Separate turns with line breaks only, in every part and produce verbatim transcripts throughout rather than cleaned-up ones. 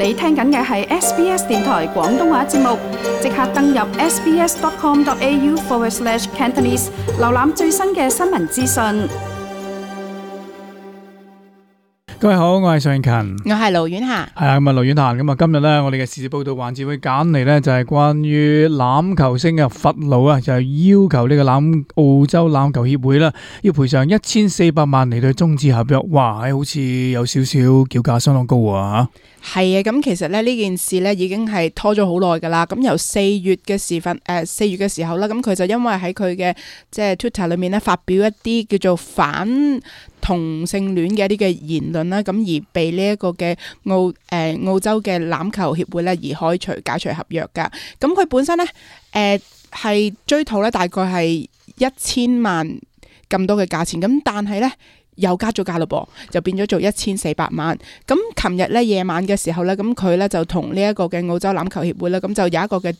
你聽緊嘅係 S B S 電台廣東話節目，即刻登入 sbs.com.au forward slash Cantonese， 瀏覽最新嘅新聞資訊。
各位好，我係尚勤，
我係盧婉霞。
係啊，咁啊，盧婉霞，咁啊，今日咧，我哋嘅時事報道環節會揀嚟咧，就係關於欖球星嘅弗勞啊，就係要求呢個欖澳洲欖球協會啦，要賠償一千四百萬嚟到終止合約。哇，好似有少少叫價相當高啊！
係啊，咁其實咧呢件事咧已經係拖咗好耐噶啦。咁由四月嘅時份，誒四月嘅時候啦，咁佢就因為喺佢嘅即係 Twitter 裏面咧發表一啲叫做反同性戀嘅一啲嘅言論啦，咁而被呢一個嘅澳誒澳洲嘅欖球協會咧而開除解除合約噶。咁佢本身咧誒係追討咧大概係一千萬咁多嘅價錢，咁但係咧又加咗價咯噃，就變咗做一千四百萬。咁琴日咧夜晚嘅時候咧，咁佢咧就同呢一個嘅澳洲欖球協會咧，咁就有一個嘅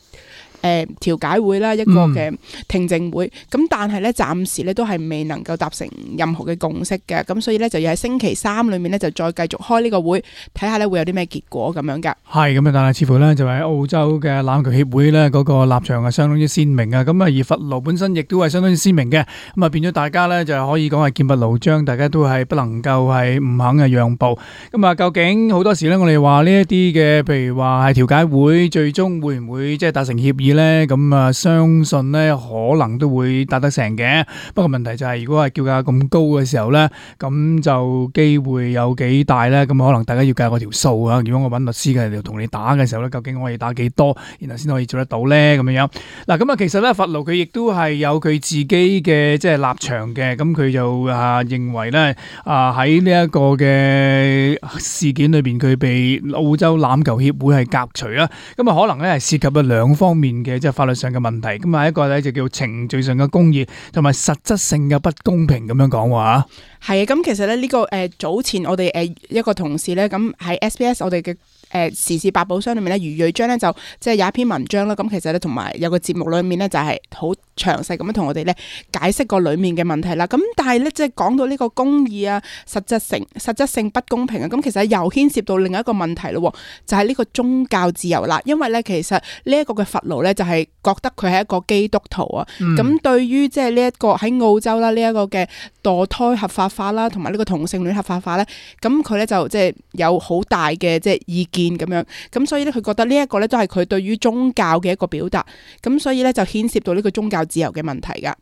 誒調解會啦，一個嘅聽證會。咁、嗯、但係咧暫時咧都係未能夠達成任何嘅共識嘅。咁所以咧就要喺星期三裏面咧就再繼續開呢個會，睇下咧會有啲咩結果咁樣噶。係
咁啊，但係似乎咧就喺澳洲嘅欖球協會咧嗰個立場係相當之鮮明啊。咁啊而弗勞本身亦都係相當之鮮明嘅。咁啊變咗大家咧就可以講係劍拔弩張，大家都係不能夠係唔肯嘅讓步。咁啊究竟好多時咧我哋話呢一啲嘅，譬如話係調解會，最終會唔會即係達成協議咧？咁啊相信咧可能都會達得成嘅。不過問題就係如果係叫價咁高嘅時候咧，咁就機會有幾大咧？咁可能大家要計我條數啊。如果我揾律師嘅嚟同你打嘅時候咧，究竟我可以打幾多，然後先可以做得到咧？咁樣樣嗱，咁啊其實咧弗勞佢亦都係有佢自己嘅即係立場嘅。咁佢就啊認為咧啊喺呢一個嘅事件裏邊，佢被澳洲欖球協會係革除啦。咁啊可能咧係涉及咗兩方面嘅即係法律上嘅問題。咁啊一個咧就叫程序上嘅公義，同埋實質性嘅不公平咁樣講話。
係啊，咁其實咧呢個誒早前我哋誒一個同事咧，咁喺 S B S 我哋嘅誒時事百寶箱裏面咧，余瑞章咧就即係有一篇文章啦。咁其實咧同埋有個節目裏面咧就係好詳細咁樣同我哋咧解釋過裏面嘅問題啦。咁但係咧即係講到呢個公義啊、實質性、實質性不公平啊，咁其實又牽涉到另一個問題咯，就係呢個宗教自由啦。因為咧其實呢一個嘅弗勞咧就係覺得佢係一個基督徒啊。咁、嗯、對於即係呢一個喺澳洲啦呢一個嘅墮胎合法化啦，同埋呢個同性戀合法化咧，咁佢咧就即係有好大嘅即係意見咁樣，咁所以咧佢覺得呢一個咧都係佢對於宗教嘅一個表達，咁所以咧就牽涉到呢個宗教自由嘅問題噶。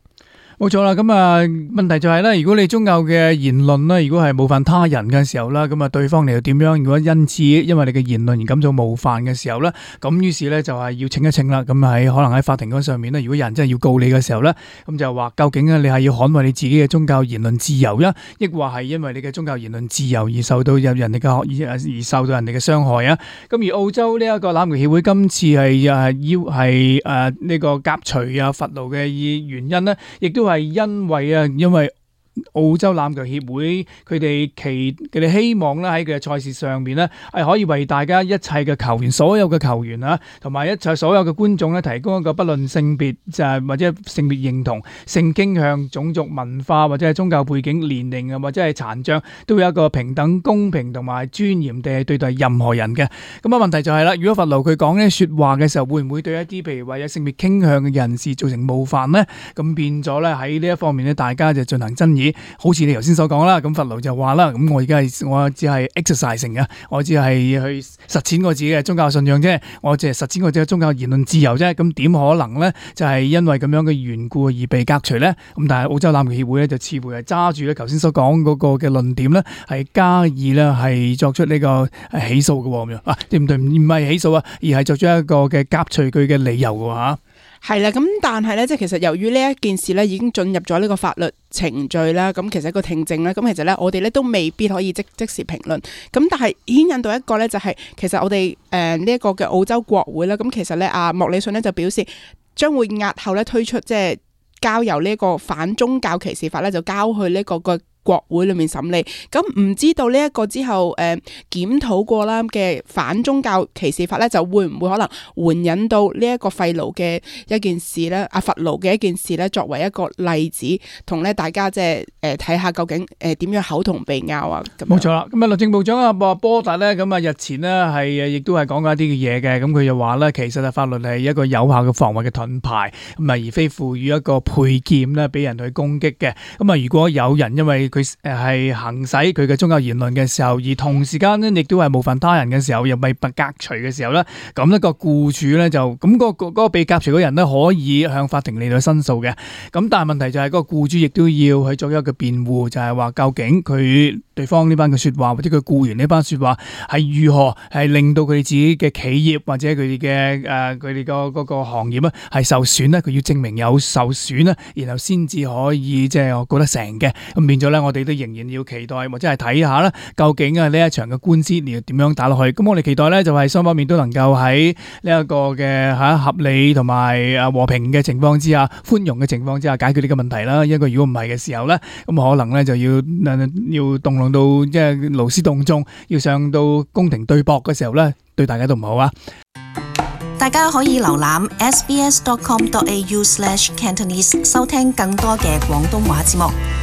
冇錯啦，咁啊問題就係咧，如果你宗教嘅言論咧，如果係冒犯他人嘅時候啦，咁啊對方你又點樣？如果因此因為你嘅言論而感到冒犯嘅時候咧，咁於是咧就係要稱一稱啦。咁喺可能喺法庭嗰上面咧，如果有人真係要告你嘅時候咧，咁就話究竟咧你係要捍衛你自己嘅宗教言論自由啊，抑或係因為你嘅宗教言論自由而受到有人哋嘅而而受到人哋嘅傷害啊？咁而澳洲呢一個欖球協會今次係誒要係誒呢個革除啊弗勞嘅原因呢，亦都係因為啊，因為澳洲欖球協會佢哋期佢哋希望咧喺佢嘅賽事上面咧係可以為大家一切嘅球員，所有嘅球員啊，同埋一切所有嘅觀眾咧提供一個不論性別就係或者性別認同、性傾向、種族文化或者係宗教背景、年齡啊或者係殘障，都會有一個平等、公平同埋尊嚴地對待任何人嘅。咁啊問題就係啦，如果弗勞佢講呢說話嘅時候，會唔會對一啲譬如話有性別傾向嘅人士造成冒犯呢？咁變咗咧喺呢一方面咧，大家就進行爭議。好似你頭先所講啦，咁弗勞就話啦，咁我而家係我只係 exercising 嘅，我只係去實踐我自己嘅宗教信仰啫，我只係實踐我自己嘅宗教言論自由啫，咁點可能咧就係因為咁樣嘅緣故而被革除咧？咁但係澳洲欖球協會咧就似乎係揸住咧頭先所講嗰個嘅論點咧，係加以咧係作出呢個起訴嘅咁樣啊？對唔對？唔係起訴啊，而係作出一個嘅革除佢嘅理由嘅吓。
係啦，咁但係咧，即係其實由於呢一件事咧已經進入咗呢個法律程序啦，咁其實一個聽證啦，咁其實咧我哋咧都未必可以即即時評論。咁但係牽引到一個咧就係、是，其實我哋誒呢一個嘅澳洲國會啦，咁其實咧阿莫里遜咧就表示將會押後咧推出即係交由呢一個反宗教歧視法咧就交去呢個個。國會裏面審理。咁唔知道呢一個之後誒、呃、檢討過啦嘅反宗教歧視法咧，就會唔會可能援引到呢一個廢奴嘅一件事咧？阿佛奴嘅一件事咧，作為一個例子，同咧大家即係誒睇下究竟誒點樣口同鼻拗啊？咁
冇錯啦。咁啊，律政部長阿波達咧，咁啊日前呢係誒亦都係講過一啲嘅嘢嘅。咁佢就話咧，其實啊法律係一個有效嘅防衛嘅盾牌，咁啊而非賦予一個佩劍咧俾人去攻擊嘅。咁啊，如果有人因為佢誒係行使佢嘅宗教言論嘅時候，而同時間呢亦都係冒犯他人嘅時候，又被革除嘅時候咧，咁一個僱主咧就咁嗰個嗰個被革除嘅人咧可以向法庭嚟到申訴嘅。咁但係問題就係嗰個僱主亦都要去作一個辯護，就係話究竟佢對方呢班嘅說話或者佢僱員呢班說話係如何係令到佢哋自己嘅企業或者佢哋嘅誒佢哋個嗰個行業咧係受損咧，佢要證明有受損咧，然後先至可以即係我覺得成嘅。咁變咗咧，我哋都仍然要期待或者係睇下啦，究竟啊呢一場嘅官司你要點樣打落去？咁我哋期待咧就係雙方面都能夠喺呢一個嘅吓合理同埋啊和平嘅情況之下，寬容嘅情況之下解決呢個問題啦。因為如果唔係嘅時候咧，咁可能咧就要要動用到即係勞師動眾，要上到宮廷對簿嘅時候咧，對大家都唔好啊！
大家可以瀏覽 s b s dot com dot a u slash cantonese 收聽更多嘅廣東話節目。